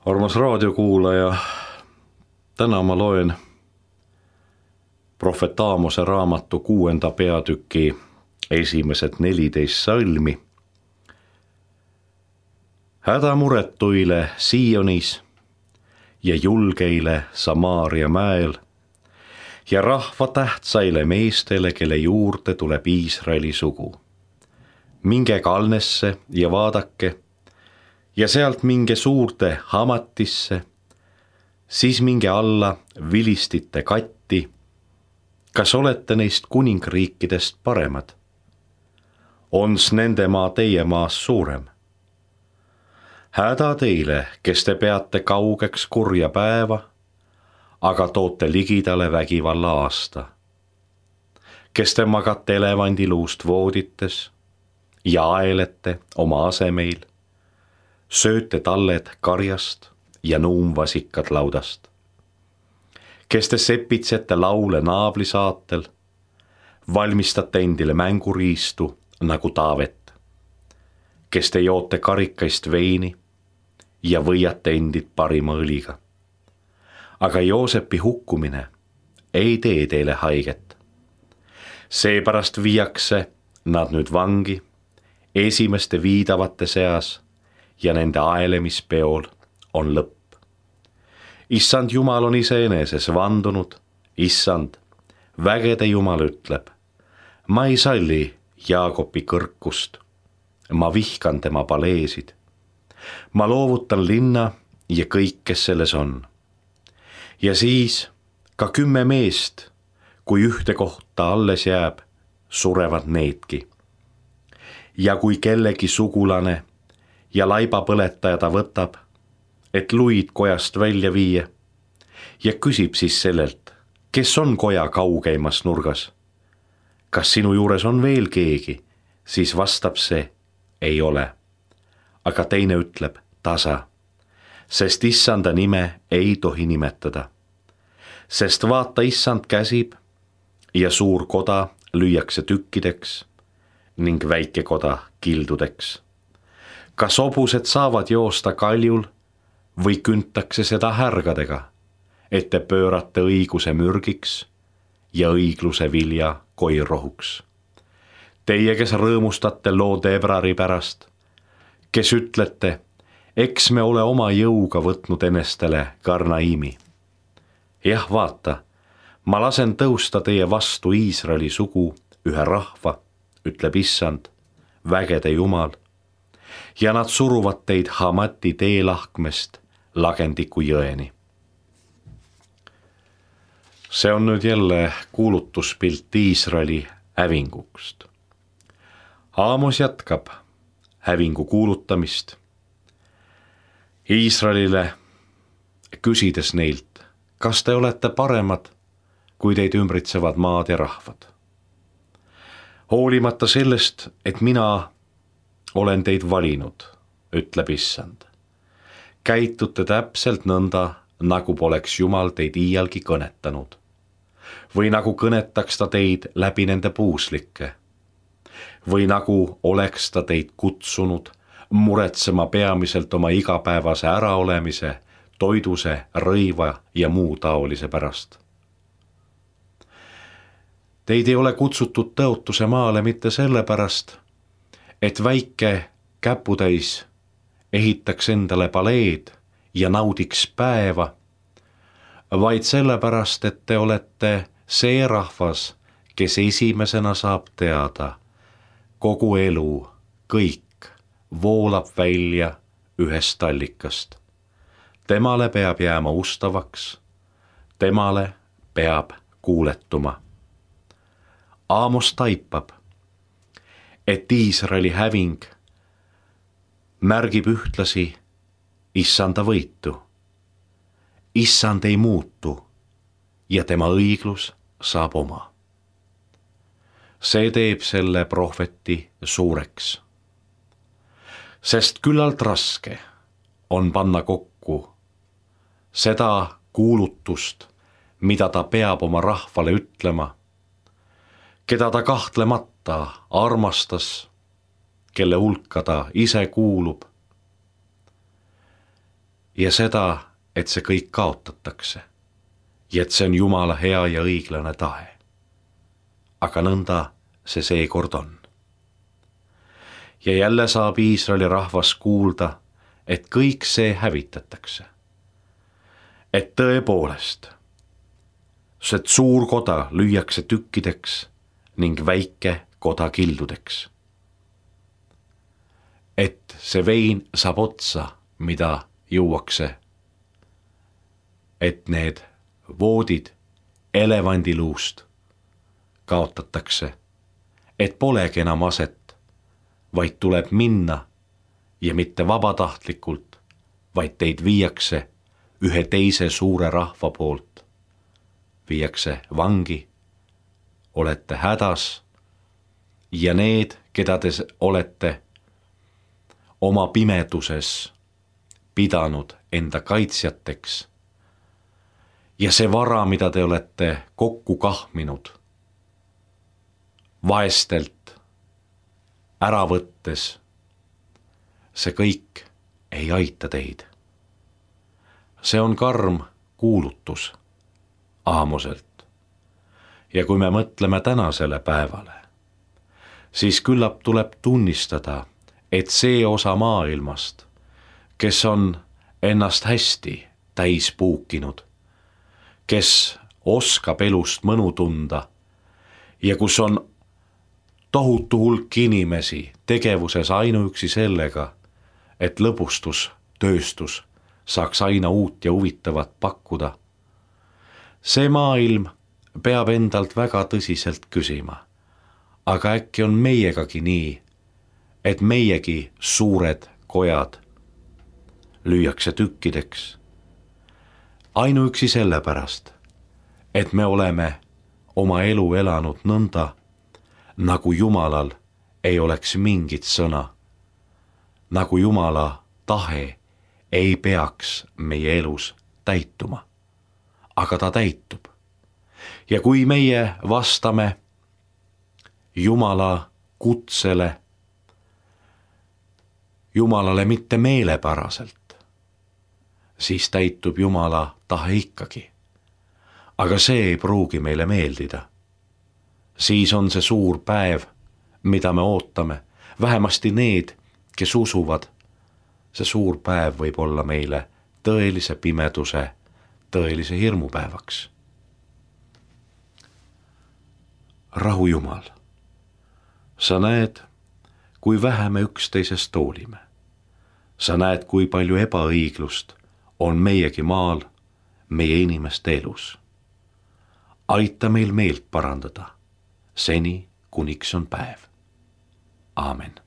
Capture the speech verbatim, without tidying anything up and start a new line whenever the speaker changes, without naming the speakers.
Armas raadiokuulaja, täna ma loen prohvet Aamose raamatu kuuenda peatüki esimesed neliteist salmi. Hädamuretuile Sionis ja julgeile Samaaria mäel ja rahva tähtsaile meestele, kelle juurde tuleb Iisraeli sugu. Minge Kalnesse ja vaadake ja sealt minge suurde Hamatisse, siis minge alla vilistite katti. Kas olete neist kuningriikidest paremad? Ons nende maa teie maas suurem? Häda teile, kes te peate kaugeks kurja päeva, aga toote ligidale vägivalla aasta. Kes te magate elevandiluust voodites ja aelete oma asemeil, sööte talled karjast ja nuumvasikad laudast. Kes te sepitsete laule naablisaatel, valmistate endile mänguriistu nagu Taavet. Kes te joote karikaist veini ja võiate endid parima õliga. Aga Joosepi hukkumine ei tee teile haiget. Seepärast viiakse nad nüüd vangi esimeste viidavate seas ja nende aelemispeol on lõpp. Issand Jumal on iseeneses vandunud, issand, vägede Jumal ütleb, ma ei salli Jaakopi kõrkust, ma vihkan tema paleesid. Ma loovutan linna ja kõik, kes selles on. Ja siis ka kümme meest, kui ühte kohta alles jääb, surevad needki. Ja kui kellegi sugulane ja laibapõletaja ta võtab, et luid kojast välja viia ja küsib siis sellelt, kes on koja kaugeimas nurgas. Kas sinu juures on veel keegi, siis vastab see, ei ole. Aga teine ütleb tasa, sest issanda nime ei tohi nimetada. Sest vaata, issand käsib ja suur koda lüüakse tükkideks ning väike koda kildudeks. Kas hobused saavad joosta kaljul või küntakse seda härgadega, et te pöörate õiguse mürgiks ja õigluse vilja koirohuks. Teie, kes rõõmustate loo Debrari pärast, kes ütlete, eks me ole oma jõuga võtnud enestele Karnaimi. Jah, vaata, ma lasen tõusta teie vastu Iisraeli sugu ühe rahva, ütleb issand, vägede Jumal, ja nad suruvad teid Hamati teelahkmest Lagendiku jõeni. See on nüüd jälle kuulutuspilt Iisraeli hävingust. Aamos jätkab hävingu kuulutamist Iisraelile, küsides neilt, kas te olete paremad, kui teid ümbritsevad maad ja rahvad. Hoolimata sellest, et mina olen teid valinud, ütleb issand. Käitute täpselt nõnda, nagu poleks Jumal teid iialgi kõnetanud. Või nagu kõnetaks ta teid läbi nende puuslike. Või nagu oleks ta teid kutsunud muretsema peamiselt oma igapäevase äraolemise, toiduse, rõiva ja muu taolise pärast. Teid ei ole kutsutud tõotuse maale mitte sellepärast, et väike käputäis ehitaks endale paleed ja naudiks päeva, vaid sellepärast, et te olete see rahvas, kes esimesena saab teada, kogu elu, kõik voolab välja ühest allikast. Temale peab jääma ustavaks, temale peab kuuletuma. Aamos taipab, et Iisraeli häving märgib ühtlasi issanda võitu. Issand ei muutu ja tema õiglus saab oma. See teeb selle prohveti suureks. Sest küllalt raske on panna kokku seda kuulutust, mida ta peab oma rahvale ütlema, keda ta kahtlemata armastas, kelle hulka ta ise kuulub. ja seda, et see kõik kaotatakse ja et see on Jumala hea ja õiglane tahe. Aga nõnda see seekord on. Ja jälle saab Iisraeli rahvas kuulda, et kõik see hävitatakse. Et tõepoolest, see suur koda lüüakse tükkideks ning väike koda kildudeks. Et see vein saab otsa, mida juuakse. Et need voodid elevandiluust kaotatakse, et polegi enam aset, vaid tuleb minna ja mitte vabatahtlikult, vaid teid viiakse ühe teise suure rahva poolt. Viiakse vangi, olete hädas ja need, keda te olete oma pimeduses pidanud enda kaitsjateks ja see vara, mida te olete kokku kahminud, vaestelt ära võttes, see kõik ei aita teid. See on karm kuulutus Aamoselt. Ja kui me mõtleme tänasele päevale, siis küllap tuleb tunnistada, et see osa maailmast, kes on ennast hästi täis puukinud, kes oskab elust mõnu tunda ja kus on tohutu hulk inimesi tegevuses ainuüksi sellega, et lõbustustööstus saaks aina uut ja huvitavat pakkuda. See maailm peab endalt väga tõsiselt küsima, aga äkki on meiegagi nii, et meiegi suured kojad lüüakse tükkideks. Ainuüksi sellepärast, et me oleme oma elu elanud nõnda, nagu Jumalal ei oleks mingit sõna, nagu Jumala tahe ei peaks meie elus täituma, aga ta täitub. Ja kui meie vastame Jumala kutsele, Jumalale mitte meelepäraselt, siis täitub Jumala tahe ikkagi. Aga see ei pruugi meile meeldida. Siis on see suur päev, mida me ootame, vähemasti need, kes usuvad. See suur päev võib olla meile tõelise pimeduse, tõelise hirmupäevaks. Rahu Jumal, sa näed, kui vähe me üksteisest hoolime. Sa näed, kui palju ebaõiglust on meiegi maal, meie inimeste elus. Aita meil meelt parandada, seni kuniks on päev. Aamen.